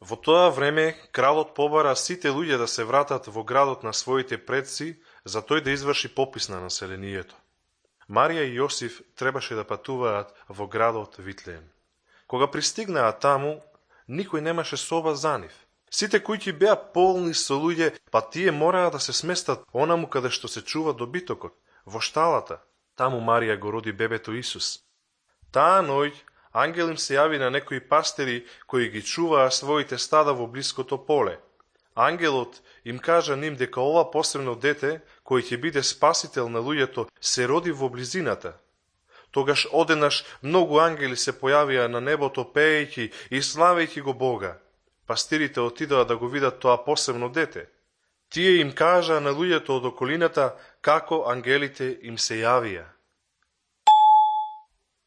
Во тоа време, кралот побара сите луѓе да се вратат во градот на своите предци, за тој да изврши попис на населението. Марија и Јосиф требаше да патуваат во градот Витлеем. Кога пристигнаа таму, никој немаше соба за нив. Сите куќи беа полни со луѓе, па тие мораа да се сместат онаму каде што се чува добитокот, во шталата. Таму Марија го роди бебето Исус. Таа ноќ ангел им се јави на некои пастири кои ги чуваа своите стада во блиското поле. Ангелот им кажа ним дека ова посебно дете, кој ќе биде спасител на луѓето, се роди во близината. Тогаш одеднаш многу ангели се појавија на небото пеејќи и славејќи го Бога. Пастирите отидоа да го видат тоа посебно дете. Тие им кажаа на луѓето од околината како ангелите им се јавија.